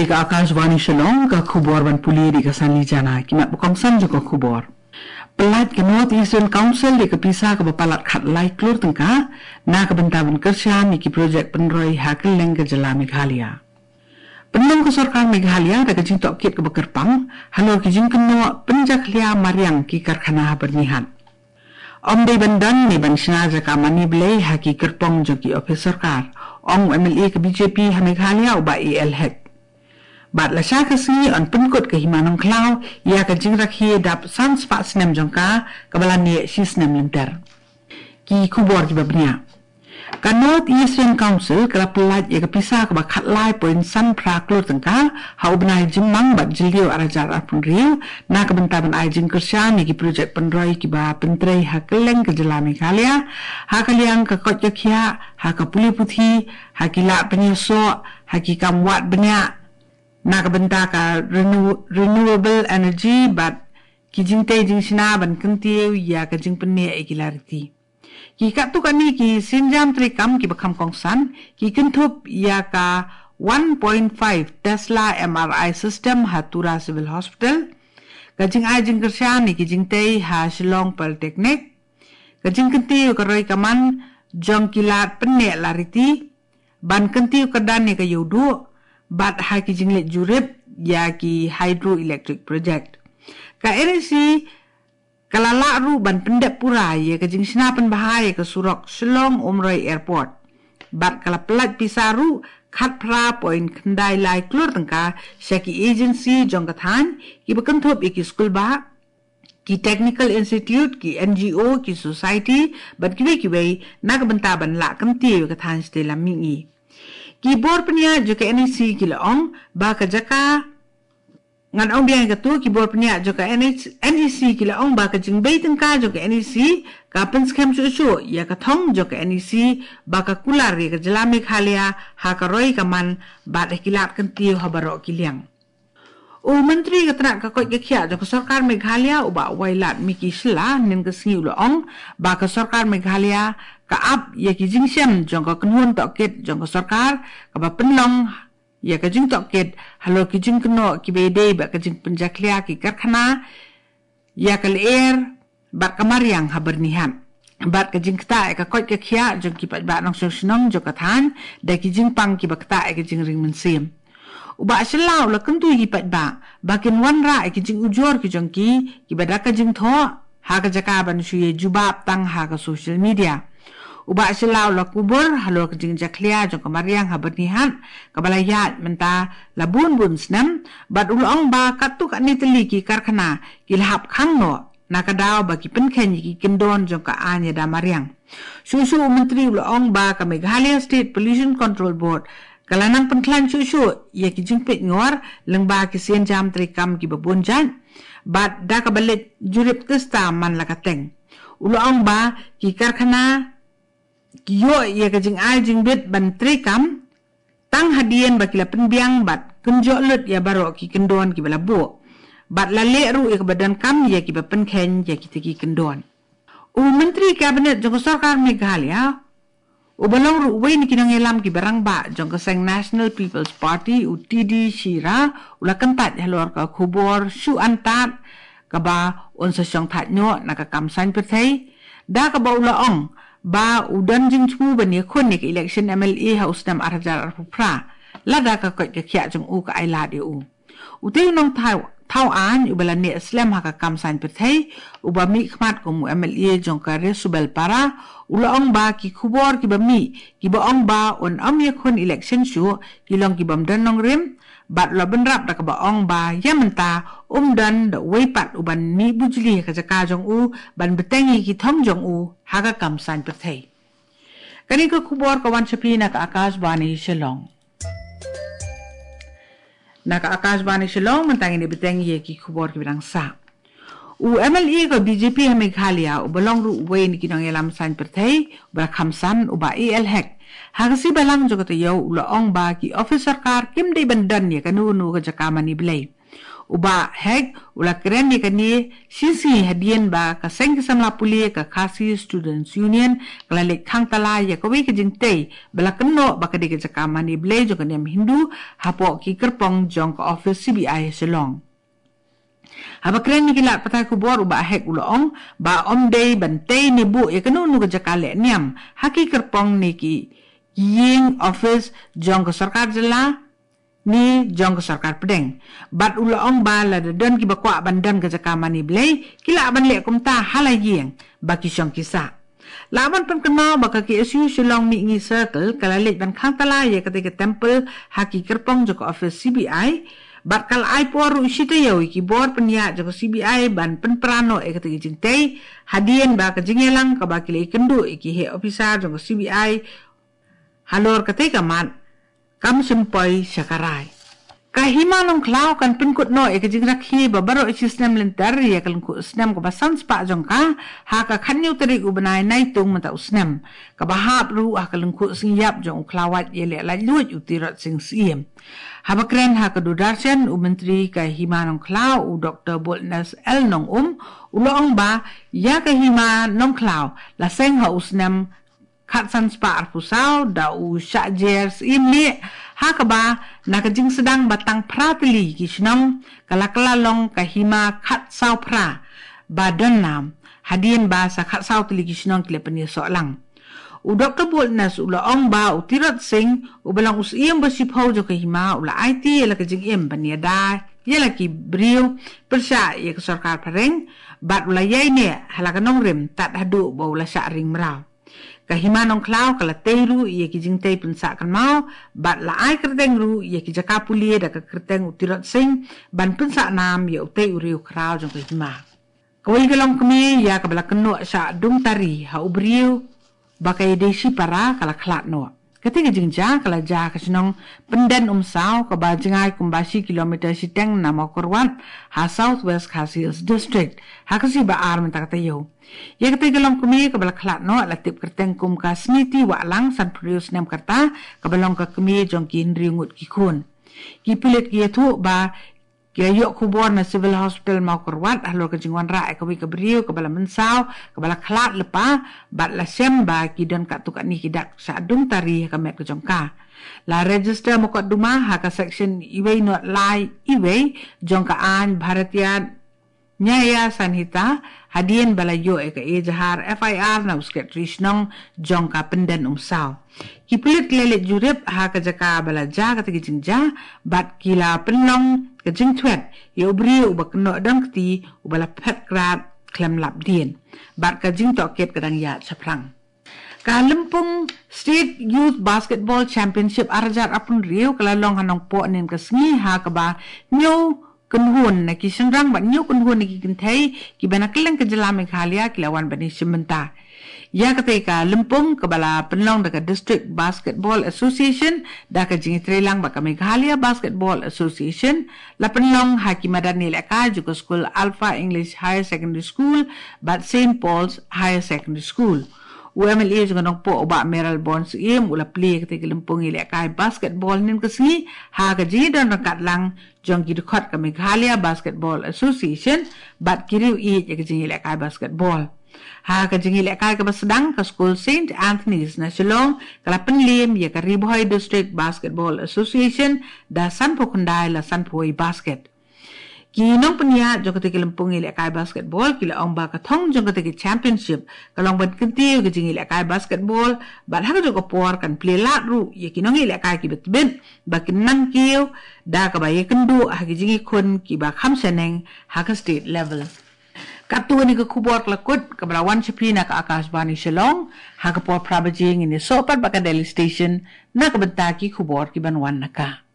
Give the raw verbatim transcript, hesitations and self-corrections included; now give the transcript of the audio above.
Ka Akashvani Shillong, ka khubor ban pule da ka Sanli Jana, ki mat ba kongsan jong ka khubor. Pyllait ka North Eastern Council da ka pisa kaba palat khatlai klur tyngka na ka bynta ban kyrshan ïa ki projek pynroi ha kylleng ka jylla Meghalaya. Pynlong ka sorkar Meghalaya da ka jingtohkit kaba kyrpang halor ki jingkynnoh pynjakhlia mariang ki karkhana ha Byrnihat. Ym dei ban don ne ban shna jaka mane blei ha ki kyrpong jong ki ophis sorkar, ong u M L A ka B J P ha Meghalaya u Bah A L Hek. Bad lashai ka sngi yn pynkut ka Hima Nongkhlaw ïa ka jingrakhe dap san spah snem jong ka, kaba la neh shi snem lynter. Ki khubor kiba bniah. Ka North Eastern Council ka la pyllait ïa ka pisa kaba khatlai point san phra klur tyngka ha u bnai Jymmang bad Jylliew arhajar arphew hynriew na ka bynta ban ai jingkyrshan ïa ki projek pynroi kiba pyntrei ha kylleng ka jylla Meghalaya, ha ka liang ka koit ka khiah, ha ka pule puthi, ha ki lad pynïasoh, ha ki kam wad bniah, na ka bynta ka renew- renewable energy bad ki jingtei jingshna ban kyntiew ïa ka jingpynneh ïa ki lariti. Ki katto katne ki sienjam treikam kiba kham kongsan ki kynthup ïa ka one point five Tesla M R I system ha Tura Civil Hospital, ka jingai jingkyrshan ïa ki jingtei ha Shillong Polytechnic, ka jingkyntiew ka roi ka man jong ki lad pynneh lariti, ban kyntiew kyrdan ïa ka ïewduh, bad ha ki jingleit jurip ïa ki hydroelectric project. Ka N E C ka la lah ruh ban pyndep pura ïa ka jingshna pynbha ïa ka surok Shillong Umroi Airport. Bad ka la pyllait pisa ruh khatphra point khyndai lai klur tyngka sha ki agency jong ka thaiñ, kiba kynthup ïa ki skulbah, ki technical institute, ki N G O, ki society bad kiwei kiwei, na ka bynta ban lah kyntiew ïa ka thaiñ shatei lam mihngi. Ki bor pynïaid jong ka N E C ki la ong ba ka jaka, ngan ong biang ïa kato, ki bor pynïaid jong ka N E C, N E C ki la ong ba ka jingbei tyngka jong ka N E C ka pynskhem shuh shuh ïa ka thong jong ka N E C ba ka kular ïa ka jylla Meghalaya ha ka roi ka man bad ha ki lad kyntiew ha baroh ki liang. U Myntri ka tnat ka koit ka khiah jong ka sorkar Meghalaya u Bah Wailadmiki Shylla mynhynnin ka sngi u la ong ba ka sorkar Meghalaya ka ap ïa ki jingshem jong ka kynhun tohkit jong ka sorkar kaba pynlong ïa ka jingtohkit halor ki jingkynnoh kiba ïadei bad ka jingpynjakhlia ki karkhana ïa ka lyer bad ka mariang ha Byrnihat, bad ka jingktah ïa ka koit ka khiah jong ki paidbah nongshong shnong jong ka thaiñ da ki jingpang kiba ktah ïa ka jingring mynsiem. U Bah Shylla u la kyntu ïa ki paidbah ba kin wanrah ïa ki jingujor ki jong ki kiba da ka jingthoh ha ka jaka ban shu ïa jubab tang ha ka social media. U Bah Shylla u la kubur halor ka jingjakhlia jong ka mariang ha Byrnihat kaba la ïaid mynta la bun bun snem, bad u la ong ba katto katne tylli ki karkhana ki la hap khang noh na ka daw ba ki pynkheiñ ïa ki kyndon jong ka aiñ ïada mariang. Shuh shuh u Myntri u la ong ba ka Meghalaya State Pollution Control Board ka la nang pynkhlaiñ shuh shuh ïa ki jingpeit ngor lyngba ki sienjam treikam kiba bun jait, bad da kaba leit jurip tista man la ka teng. U la ong ba ki karkhana ki ïoh ïa ka jingai jingbit ban treikam tang hadien ba ki la pynbiang bad kynjoh lut ïa baroh ki kyndon kiba la buh, bad la leh ruh ïa kaba donkam ïa kiba pynkheiñ ïa kita ki kyndon. U Myntri Kabinet jong ka sorkar Meghalaya uba long ruh uwei na ki nongïalam kiba rangbah jong ka seng National People's Party, u T D Shira, u la kyntait halor ka khubor shu antad kaba un sa shong thait noh na ka kam saiñ pyrthei, da kaba u la ong ba u don jingthmu ban ïakhun ïa ka election M L A ha u snem arhajar arphew phra lada ka koit ka khiah jong u ka ai lad ïa u. Utei u nongthaw thaw aiñ uba la neh slem ha ka kam saiñ pyrthei, uba mihkhmat kum u M L A jong ka Resubelpara, u la ong ba ki khubor kiba mih kiba ong ba un ym ïakhun election shuh ki long kibym don nongrim, bad la bynrap da kaba ong ba ïa mynta um don da uwei pat uban mih bujli ha ka jaka jong u ban bteng ïa ki thong jong u ha ka kam saiñ pyrthei. Kane ka khubor ka wan sha phi na ka Akashvani Shillong. Na ka Akashvani Shillong mynta ngin ïa bteng ïa ki khubor kiba dang sah. U M L A ka B J P ha Meghalaya uba long ruh uwei na ki nongïalam saiñ pyrthei uba la kham san, u Bah A L Hek, ha ka sngi Balang jong ka taïew u la ong ba ki ophis sorkar kim dei ban don ïa kano kano ka jaka mane blei. U Bah Hek u la kren ïa kane shisngi hadien ba ka seng ki samla pule ka Khasi Students Union ka la leit khang tala ïa kawei ka jingtei ba la kynnoh ba ka dei ka jaka mane blei jong ka niam Hindu hapoh ki kyrpong jong ka office C B I Shillong. Haba kren ïa ki lad pathai khubor, u Bah Hek u la ong ba ym dei ban tei ne buh ïa kano kano ka jaka leh niam ha ki kyrpong ne ki ïing office jong ka sorkar jylla ne jong ka sorkar pdeng. Bad u la ong ba lada don kiba kwah ban don ka jaka mane blei, ki lah ban leh kumta ha la ïing ba ki shong ki sah. Lah ban pynkynmaw ba ka K S U Shillong Mihngi Circle ka la leit ban khang tala ïa katei ka temple ha ki kyrpong jong ka office C B I. Bad ka la ai por ruh shi taïew ïa ki bor pynïaid jong ka C B I ban pynpra noh ïa katei ka jingtei, hadien ba ka jingïalang kaba ki la ïakynduh ïa ki heh ophisar jong ka C B I halor katei ka mat kam shym poi sha ka rai. Ka Hima Nongkhlaw kan pynkut noh ïa ka jingrakhe ba baroh shi snem lynter ïa ka lyngkhuh snem kaba san spah jong ka ha ka khathynñiew tarik u bnai Naitung mynta u snem, kaba hap ruh ha ka lyngkhuh sngi ïap jong u khlawait ïaleh laitluid u Tirot Sing Syiem. Haba kren ha ka Doordarshan, u Myntri ka Hima Nongkhlaw, u Doktor Boldness L Nongum, u la ong ba ïa ka Hima Nongkhlaw la seng ha u snem khatsan spah arphew saw da u Shah Jer Syiem Lieh, ha kaba na ka jingsdang ba tang phra tylli ki shnong ka la kylla long ka hima khatsaw phra ba don nam, hadien ba sa khatsaw tylli ki shnong ki la pynïasoh lang. U Doktor Boldness u la ong ba u Tirot Sing, uba long u Syiem ba shiphew jong ka hima, u la aiti ïa la ka jingim ban ïada ïa la ki briew pyrshah ïa ka sorkar phareng, bad u la ïaineh ha la ka nongrim tad haduh ba u la shah ring mraw. Ka Hima Nongkhlaw ka la tei ruh ïa ki jingtei pynsah kynmaw, bad la ai kyrteng ruh ïa ki jaka pule da ka kyrteng u Tirot Sing ban pynsah nam ïa utei u riew khraw jong ka hima. Kawei ka longkmie ïa kaba la kynnoh shah dung tari ha u briew ba ka ïadei shipara ka la khlad noh. Katei ka jingjia ka la jia ha ka shnong Pynden Umsaw, kaba jngai kumba shi kilometer shiteng na Mawkyrwat ha South West Khasi Hills District, ha ka sngi ba ar mynta ka taïew. Ïa katei ka longkmie kaba la khlad noh la tip kyrteng kum ka Smriti Wahlang, sanphew hynriew snem ka rta, kaba long ka kmie jong ki hynriew ngut ki khun. Ki pulit ki ïathuh ba ki ïoh khubor na Civil Hospital Mawkyrwat halor ka jingwanrah ïa kawei ka briew kaba la mynsaw, kaba la khlad lypa, bad la shem ba ki don katto katne ki dak shah dung tari ha ka met ka jong ka. La register mukotduma ha ka section uwei not lai uwei jong ka aiñ Bharatiya Nyaya Sanhita, hadien ba la ïoh ïa ka ejahar F I R na u Secretary Shnong jong ka Pynden Umsaw. Ki pulit ki la leit jurip ha ka jaka ba la jia katei ka jingjia, bad ki la pynlong ka jingthwet ïa u briew uba kynnoh donkti uba la phet krad khlem lap dien, bad ka jingtohkit ka dang ïaid shaphrang. Ka Lympung State Youth Basketball Championship ar hajar arphew hynriew ka la long ha Nongpoh hynnin ka sngi, ha kaba hynñiew kynhun na ki shynrang bad hynñiew kynhun na ki kynthei kiba na kylleng ka jylla Meghalaya ki la wan ban ïashim bynta. Ïa katei ka lympung, kaba la pynlong da ka District Basketball Association da ka jingïatreilang bad ka Meghalaya Basketball Association, la pynlong ha ki madan ïalehkai jong ka skul Alpha English Higher Secondary School bad Saint Paul's Higher Secondary School. U M L A jong ka Nongpoh, u Bah Mayralborn Syiem, u la plie ïa katei ka lympung ïalehkai basketball hynnin ka sngi ha ka jingïadon ryngkat lang jong ki dkhot ka Meghalaya Basketball Association bad ki riew ïeit ïa ka jingïalehkai basketball. Ha ka jingïalehkai kaba sdang, ka skul Saint Anthony's na Shillong ka la pynliem ïa ka Ri Bhoi District Basketball Association da sanphew khyndai la sanphew wei basket. Ki nongpynïaid jong katei ka lympung ïalehkai basketball ki la ong ba ka thong jong katei ka championship ka long ban kyntiew ïa ka jingïalehkai basketball, bad ha kajuh ka por kan plie lad ruh ïa ki nongïalehkai kiba tbit ba kin nang kiew da kaba ïakynduh ha ki jingïakhun kiba kham shaneng ha ka state level. Katto katne ka khubor ka la kut, kaba la wan sha phi na ka Akashvani Shillong. Ha ka por phra baje ngin ïasoh pat bad ka Delhi Station na ka bynta ki khubor kiban wan na ka.